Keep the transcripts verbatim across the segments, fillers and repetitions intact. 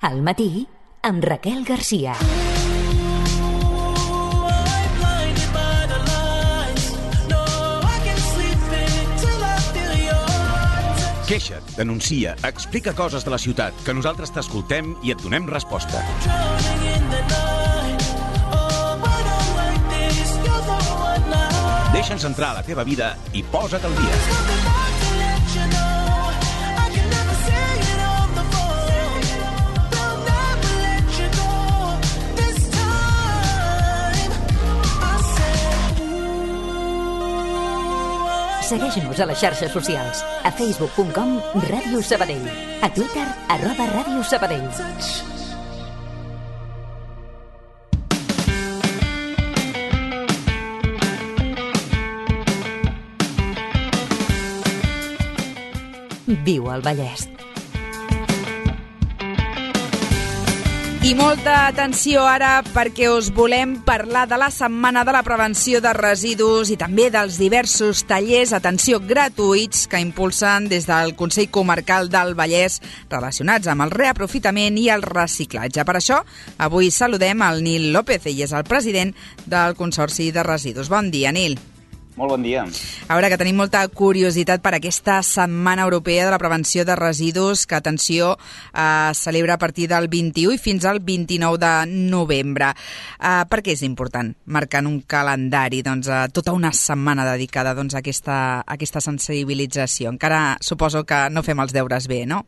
Al matí, amb Raquel Garcia. Queixa't, denuncia, explica coses de la ciutat, que nosaltres t'escoltem i et donem resposta. Deixa'ns entrar a la teva vida i posa't al dia. Segueix-nos a les xarxes socials. A facebook punt com Ràdio Sabadell. A Twitter, arroba Ràdio Sabadell. Viu al Vallès. I molta atenció ara perquè us volem parlar de la Setmana de la Prevenció de Residus i també dels diversos tallers, atenció, gratuïts que impulsen des del Consell Comarcal del Vallès relacionats amb el reaprofitament i el reciclatge. Per això, avui saludem al Nil López, ell és el president del Consorci de Residus. Bon dia, Nil. Molt bon dia. A veure, que tenim molta curiositat per aquesta Setmana Europea de la Prevenció de Residus, que, atenció, eh, celebra a partir del vint-i-u i fins al vint-i-nou de novembre. Eh, per què és important marcar en un calendari doncs, eh, tota una setmana dedicada doncs, a, aquesta, a aquesta sensibilització? Encara suposo que no fem els deures bé, no?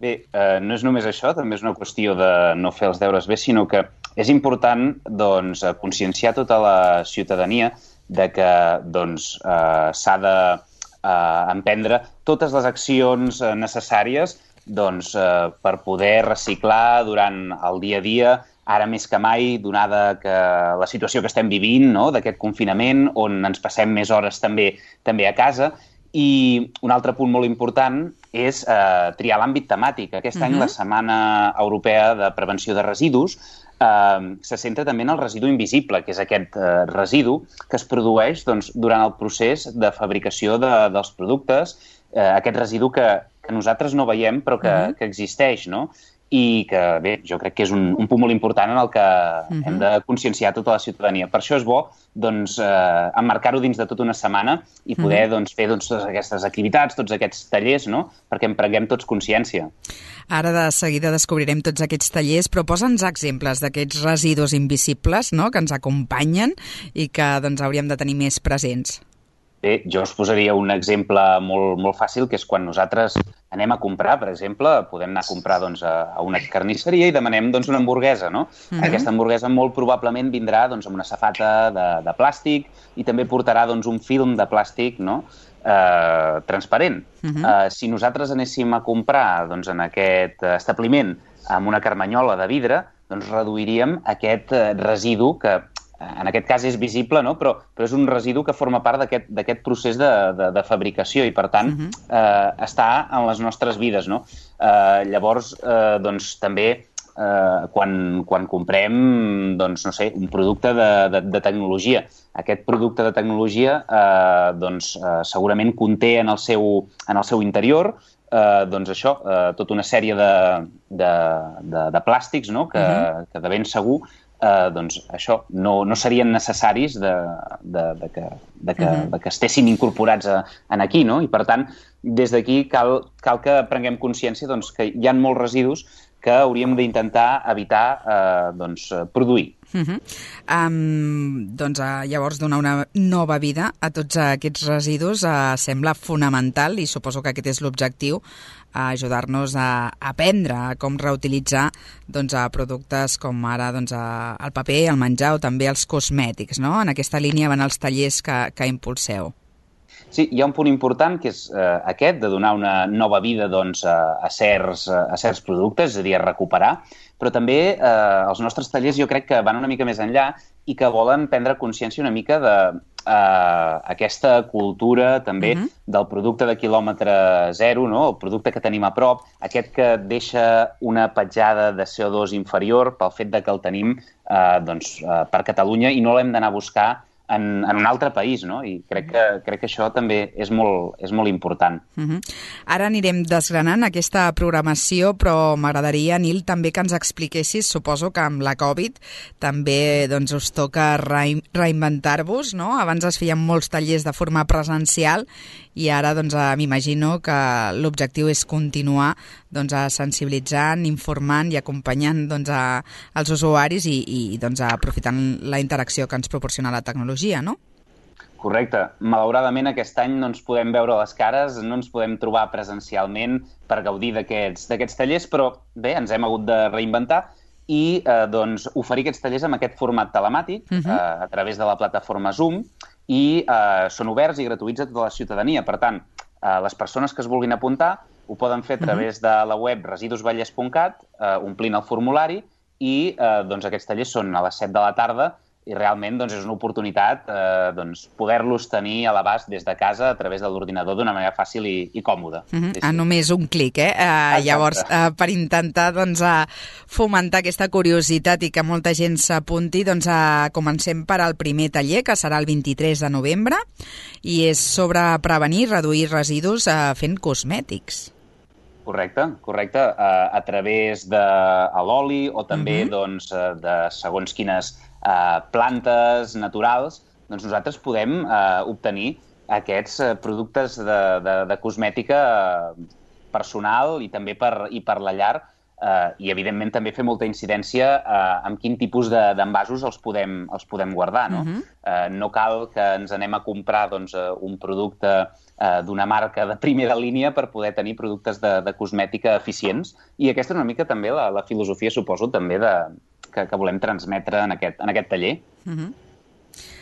Bé, eh, no és només això, també és una qüestió de no fer els deures bé, sinó que és important doncs, conscienciar tota la ciutadania de que doncs, eh, s'ha d'emprendre eh, totes les accions eh, necessàries doncs, eh, per poder reciclar durant el dia a dia, ara més que mai, donada que la situació que estem vivint, no?, d'aquest confinament, on ens passem més hores també, també a casa. I un altre punt molt important és eh, triar l'àmbit temàtic. Aquest uh-huh. any la Setmana Europea de Prevenció de Residus Uh, se centra també en el residu invisible, que és aquest uh, residu que es produeix doncs, durant el procés de fabricació de, dels productes, uh, aquest residu que, que nosaltres no veiem però que, uh-huh. que existeix, no? I que, bé, jo crec que és un, un punt molt important en el que uh-huh. hem de conscienciar tota la ciutadania. Per això és bo doncs, eh, emmarcar-ho dins de tota una setmana i poder uh-huh. doncs, fer doncs, totes aquestes activitats, tots aquests tallers, no?, perquè en prenguem tots consciència. Ara de seguida descobrirem tots aquests tallers, però posa'ns exemples d'aquests residus invisibles, no?, que ens acompanyen i que doncs, hauríem de tenir més presents. Bé, jo us posaria un exemple molt, molt fàcil, que és quan nosaltres anem a comprar, per exemple, podem anar a comprar doncs, a, a una carnisseria i demanem doncs, una hamburguesa, no? Mm-hmm. Aquesta hamburguesa molt probablement vindrà doncs, amb una safata de, de plàstic i també portarà doncs, un film de plàstic, no?, eh, transparent. Mm-hmm. Eh, si nosaltres anéssim a comprar doncs, en aquest establiment amb una carmanyola de vidre, doncs reduiríem aquest eh, residu que en aquest cas és visible, no? però, però és un residu que forma part d'aquest procés de, de, de fabricació i, per tant, uh-huh. eh, està en les nostres vides. No? Eh, llavors, eh, doncs, també, eh, quan, quan comprem doncs, no sé, un producte de, de, de tecnologia, aquest producte de tecnologia eh, doncs, eh, segurament conté en el seu, en el seu interior eh, doncs això, eh, tota una sèrie de, de, de, de plàstics, no? que, uh-huh. que de ben segur Uh, doncs això, no, no serien necessaris de, de, de, que, de, que, uh-huh. de que estessin incorporats a, en aquí, no? I per tant, des d'aquí cal, cal que prenguem consciència doncs, que hi ha molts residus que hauríem d'intentar evitar eh, doncs, produir. Uh-huh. Um, doncs uh, llavors donar una nova vida a tots aquests residus uh, sembla fonamental i suposo que aquest és l'objectiu, uh, ajudar-nos a aprendre a com reutilitzar doncs, a productes com ara doncs, a, el paper, el menjar o també els cosmètics, no? En aquesta línia van els tallers que, que impulseu. Sí, hi ha un punt important que és eh, aquest, de donar una nova vida doncs, a, a, certs, a certs productes, és a dir, a recuperar, però també eh, els nostres tallers jo crec que van una mica més enllà i que volen prendre consciència una mica de eh, aquesta cultura també uh-huh. del producte de quilòmetre zero, no? El producte que tenim a prop, aquest que deixa una petjada de C O dos inferior pel fet de que el tenim eh, doncs, eh, per Catalunya i no l'hem d'anar a buscar en, en un altre país, no? I crec que, crec que això també és molt, és molt important. Uh-huh. Ara anirem desgranant aquesta programació, però m'agradaria, Nil, també que ens expliquessis, suposo que amb la Covid també doncs, us toca re reinventar-vos, no? Abans es feien molts tallers de forma presencial i ara doncs, m'imagino que l'objectiu és continuar doncs, sensibilitzant, informant i acompanyant doncs, a, als usuaris i, i doncs, aprofitant la interacció que ens proporciona la tecnologia, no? Correcte. Malauradament aquest any no ens podem veure les cares, no ens podem trobar presencialment per gaudir d'aquests d'aquests tallers, però bé, ens hem hagut de reinventar i eh, doncs, oferir aquests tallers amb aquest format telemàtic uh-huh. eh, a través de la plataforma Zoom i eh, són oberts i gratuïts a tota la ciutadania. Per tant, eh, les persones que es vulguin apuntar ho poden fer a través uh-huh. de la web residus vallès punt cat, eh, omplint el formulari i eh, doncs, aquests tallers són a les set de la tarda i realment doncs, és una oportunitat eh, doncs, poder-los tenir a l'abast des de casa a través de l'ordinador d'una manera fàcil i, i còmoda. Uh-huh. Sí, sí. A només un clic, eh? Uh, llavors, uh, per intentar doncs, uh, fomentar aquesta curiositat i que molta gent s'apunti, doncs, uh, comencem per al primer taller, que serà el vint-i-tres de novembre, i és sobre prevenir i reduir residus uh, fent cosmètics. Correcte, correcte. Uh, a través de l'oli o també uh-huh. doncs, de segons quines Uh, plantes naturals, doncs nosaltres podem uh, obtenir aquests uh, productes de, de, de cosmètica uh, personal i també per, i per la llar uh, i evidentment també fer molta incidència uh, en quin tipus d'envasos de, els, podem, els podem guardar. No? Uh-huh. uh, no cal que ens anem a comprar doncs, uh, un producte uh, d'una marca de primera línia per poder tenir productes de, de cosmètica eficients i aquesta és una mica també la, la filosofia, suposo, també de Que, que volem transmetre en aquest, en aquest taller. Uh-huh.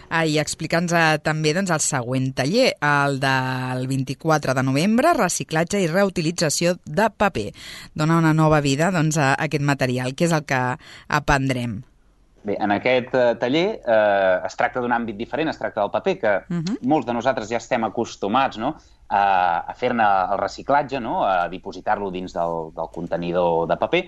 ah, I explica'ns uh, també doncs, el següent taller, el del vint-i-quatre de novembre, reciclatge i reutilització de paper. Dona una nova vida doncs, a aquest material. Què és el que aprendrem? Bé, en aquest uh, taller uh, es tracta d'un àmbit diferent, es tracta del paper, que uh-huh. molts de nosaltres ja estem acostumats no? a, a fer-ne el reciclatge, no? A dipositar-lo dins del, del contenidor de paper,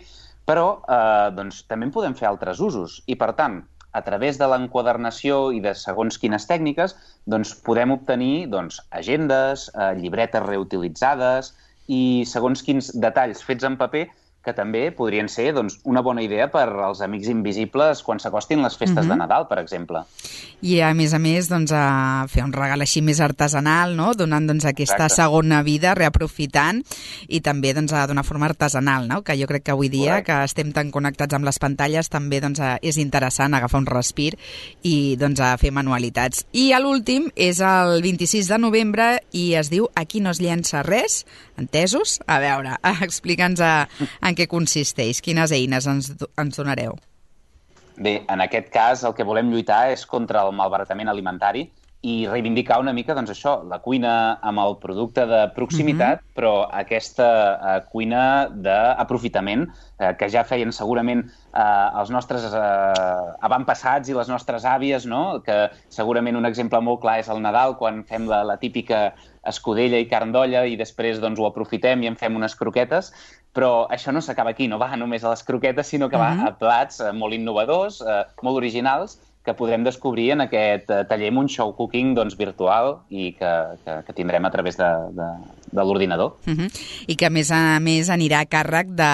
però eh, doncs, també en podem fer altres usos i, per tant, a través de l'enquadernació i de segons quines tècniques, doncs, podem obtenir doncs, agendes, eh, llibretes reutilitzades i segons quins detalls fets en paper que també podrien ser doncs, una bona idea per als amics invisibles quan s'acostin les festes uh-huh. de Nadal, per exemple. I, a més a més, doncs, a fer un regal així més artesanal, no? Donant doncs, aquesta Exacte. segona vida, reaprofitant, i també doncs, d'una forma artesanal, no? Que jo crec que avui dia, Correcte. que estem tan connectats amb les pantalles, també doncs, és interessant agafar un respir i doncs, a fer manualitats. I l'últim és el vint-i-sis de novembre i es diu Aquí no es llença res, entesos? A veure, explica'ns a, en què consisteix, quines eines ens, ens donareu? Bé, en aquest cas el que volem lluitar és contra el malbaratament alimentari i reivindicar una mica, doncs això, la cuina amb el producte de proximitat, uh-huh. però aquesta uh, cuina d'aprofitament uh, que ja feien segurament uh, els nostres uh, avantpassats i les nostres àvies, no? Que segurament un exemple molt clar és el Nadal, quan fem la, la típica escudella i carn d'olla i després doncs, ho aprofitem i en fem unes croquetes, però això no s'acaba aquí, no va només a les croquetes, sinó que va uh-huh. a plats uh, molt innovadors, uh, molt originals, que podrem descobrir en aquest uh, taller amb un show cooking doncs, virtual i que, que, que tindrem a través de, de, de l'ordinador. Uh-huh. I que, a més a més, anirà a càrrec de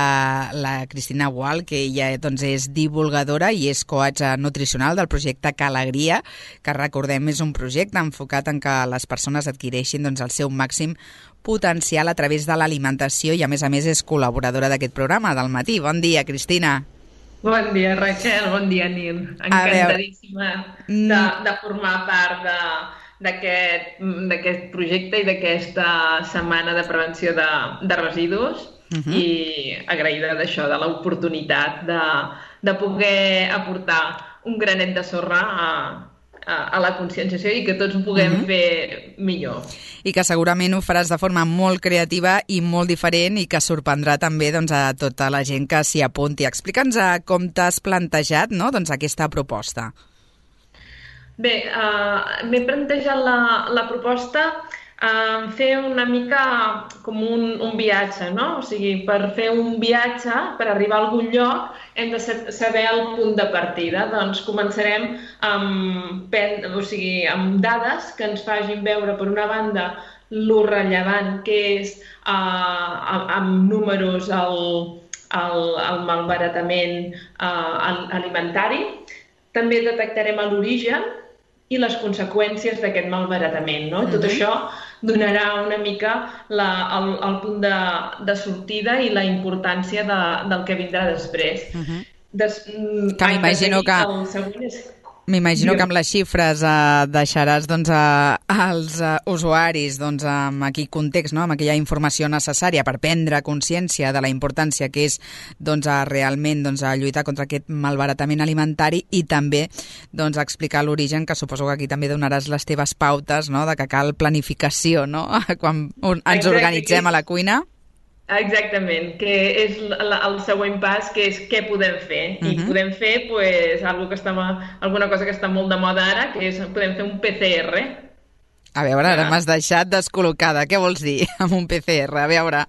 la Cristina Gual, que ella doncs, és divulgadora i és coach nutricional del projecte Calegria, que, recordem, és un projecte enfocat en que les persones adquireixin doncs, el seu màxim potencial a través de l'alimentació i, a més a més, és col·laboradora d'aquest programa del matí. Bon dia, Cristina. Bon dia, Raquel. Bon dia, Nil. Encantadíssima de, de formar part d'aquest projecte i d'aquesta setmana de prevenció de, de residus uh-huh. i agraïda d'això, de l'oportunitat de, de poder aportar un granet de sorra a, a, a la conscienciació i que tots ho puguem uh-huh. fer millor. I que segurament ho faràs de forma molt creativa i molt diferent i que sorprendrà també doncs, a tota la gent que s'hi apunti. Explica'ns com t'has plantejat no? doncs, aquesta proposta. Bé, uh, m'he plantejat la, la proposta Uh, fer una mica com un, un viatge, no? O sigui, per fer un viatge, per arribar a algun lloc, hem de saber el punt de partida. Doncs començarem amb, o sigui, amb dades que ens facin veure, per una banda, lo rellevant que és uh, amb números el, el, el malbaratament uh, alimentari. També detectarem l'origen i les conseqüències d'aquest malbaratament, no? Tot això donarà una mica la, el, el punt de, de sortida i la importància de, del que vindrà després. Uh-huh. Des, que m'imagino que... El següent és... M'imagino que amb les xifres eh, deixaràs doncs, a, als uh, usuaris doncs, amb aquell context, no? Amb aquella informació necessària per prendre consciència de la importància que és doncs, a, realment doncs, a lluitar contra aquest malbaratament alimentari i també doncs, explicar l'origen, que suposo que aquí també donaràs les teves pautes, no? De que cal planificació, no? Quan ens organitzem a la cuina. Exactament, que és el següent pas, que és què podem fer. I uh-huh. podem fer pues, algo que està, alguna cosa que està molt de moda ara, que és podem fer un P C R. A veure, ara ah. m'has deixat descol·locada. Què vols dir amb un P C R? A veure.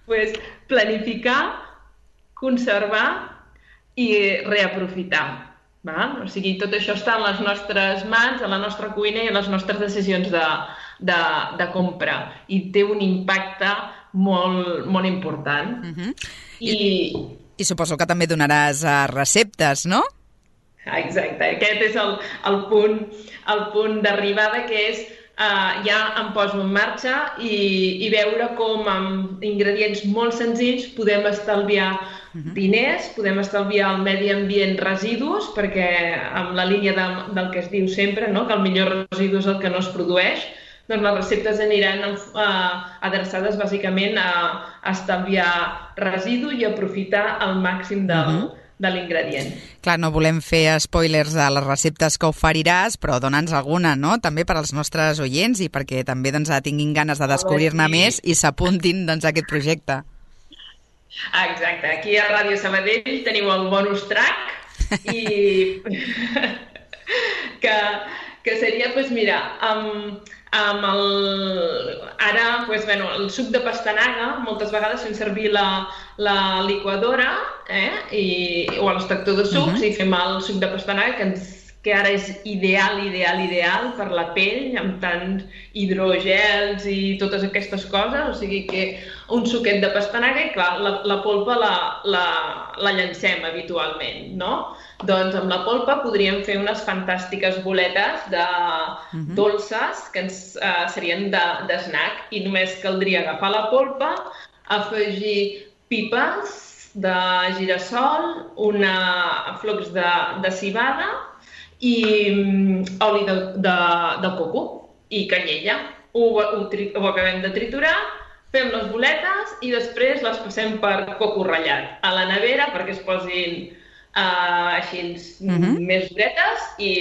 Pues, planificar, conservar i reaprofitar. Val? O sigui, tot això està en les nostres mans, a la nostra cuina i a les nostres decisions de, de, de compra. I té un impacte molt, molt important. Uh-huh. I... I, I suposo que també donaràs uh, receptes, no? Exacte. Aquest és el, el punt, el punt d'arribada, que és uh, ja em poso en marxa i, i veure com amb ingredients molt senzills podem estalviar uh-huh. diners, podem estalviar el medi ambient residus, perquè amb la línia de, del que es diu sempre, no? Que el millor residu és el que no es produeix, doncs les receptes aniran uh, adreçades bàsicament a, a estalviar residu i aprofitar al màxim del, uh-huh. de l'ingredient. Clar, no volem fer spoilers de les receptes que oferiràs, però dona'ns alguna, no? També per als nostres oients i perquè també doncs, tinguin ganes de descobrir-ne sí. més i s'apuntin doncs, a aquest projecte. Exacte. Aquí a Ràdio Sabadell teniu el bonus track i que, que seria, doncs mira, amb... Amb el... Ara, pues, bueno, el suc de pastanaga, moltes vegades fem servir la, la liquadora eh? I, o l'extractor de sucs uh-huh. i fem el suc de pastanaga, que, ens, que ara és ideal, ideal, ideal per la pell, amb tants hidrogels i totes aquestes coses, o sigui que un suquet de pastanaga i clar, la, la polpa la, la, la llancem habitualment, no? Doncs amb la polpa podríem fer unes fantàstiques boletes de uh-huh. dolces que ens uh, serien de, de snack i només caldria agafar la polpa, afegir pipes de girassol, una flocs de, de civada i um, oli de, de, de coco i canyella. Ho, ho, tri, ho acabem de triturar, fem les boletes i després les passem per coco ratllat a la nevera perquè es posin Uh, així uh-huh. més duretes i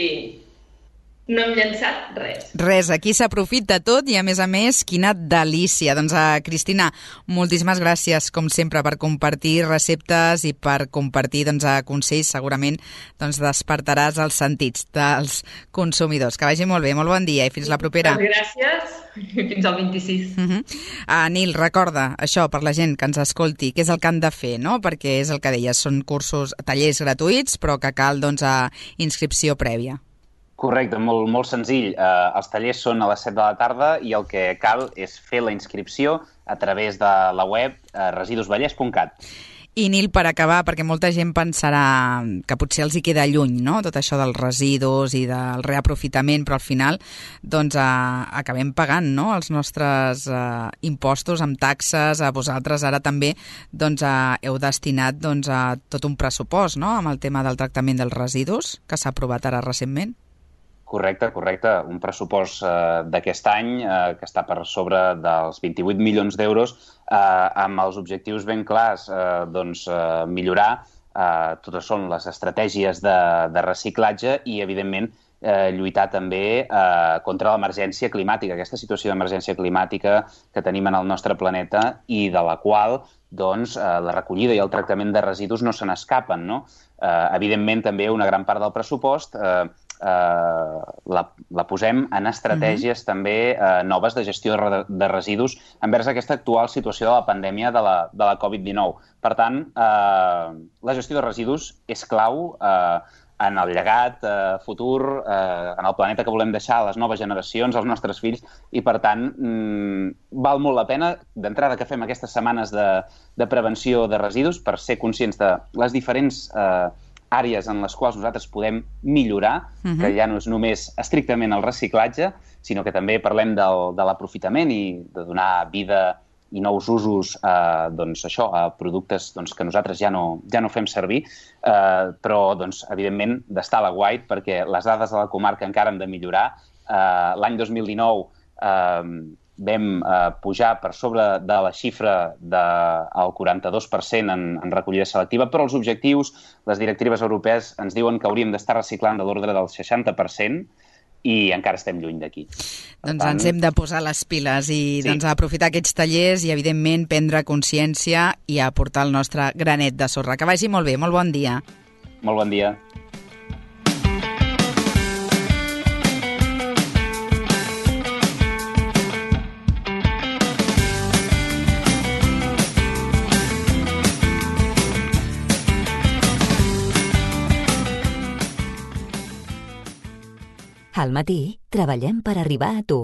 no hem llançat res. Res, aquí s'aprofita tot i a més a més, quina delícia. Doncs uh, Cristina, moltíssimes gràcies com sempre per compartir receptes i per compartir doncs, uh, consells. Segurament doncs, despertaràs els sentits dels consumidors. Que vagi molt bé, molt bon dia i fins la propera. Gràcies, fins al vint-i-sis. Uh-huh. uh, Nil, recorda això per la gent que ens escolti, què és el que han de fer, no? Perquè és el que deies, són cursos, tallers gratuïts, però que cal doncs, uh, inscripció prèvia. Correcte, molt, molt senzill. Uh, els tallers són a les set de la tarda i el que cal és fer la inscripció a través de la web uh, residus vallès punt cat. I Nil, per acabar, perquè molta gent pensarà que potser els hi queda lluny, no?, tot això dels residus i del reaprofitament, però al final doncs, eh, acabem pagant, no?, els nostres eh, impostos amb taxes. A vosaltres ara també doncs, eh, heu destinat doncs, a tot un pressupost, no?, amb el tema del tractament dels residus, que s'ha aprovat ara recentment. Correcte, correcte. Un pressupost eh, d'aquest any eh, que està per sobre dels vint-i-vuit milions d'euros eh, amb els objectius ben clars, eh, doncs eh, millorar eh, totes són les estratègies de, de reciclatge i, evidentment, eh, lluitar també eh, contra l'emergència climàtica, aquesta situació d'emergència climàtica que tenim en el nostre planeta i de la qual doncs, eh, la recollida i el tractament de residus no se n'escapen, no? Eh, evidentment, també una gran part del pressupost eh, eh, la, la posem en estratègies uh-huh. també eh, noves de gestió de, de residus envers aquesta actual situació de la pandèmia de la, de la covid dinou. Per tant, eh, la gestió de residus és clau eh, en el llegat eh, futur, eh, en el planeta que volem deixar a les noves generacions, als nostres fills, i per tant mmm, val molt la pena d'entrada que fem aquestes setmanes de, de prevenció de residus per ser conscients de les diferents eh, àrees en les quals nosaltres podem millorar, uh-huh. que ja no és només estrictament el reciclatge, sinó que també parlem del, de l'aprofitament i de donar vida i nous usos eh, doncs, això, a productes doncs, que nosaltres ja no, ja no fem servir, eh, però doncs, evidentment d'estar a la guait perquè les dades de la comarca encara hem de millorar. Eh, l'any dos mil dinou eh, vam eh, pujar per sobre de la xifra del quaranta-dos per cent en, en recollida selectiva, però els objectius, les directives europees ens diuen que hauríem d'estar reciclant de l'ordre del seixanta per cent i encara estem lluny d'aquí. Doncs tant... ens hem de posar les piles i sí. doncs, aprofitar aquests tallers i, evidentment, prendre consciència i aportar el nostre granet de sorra. Que vagi molt bé, molt bon dia. Molt bon dia. Al matí, treballem per arribar a tu.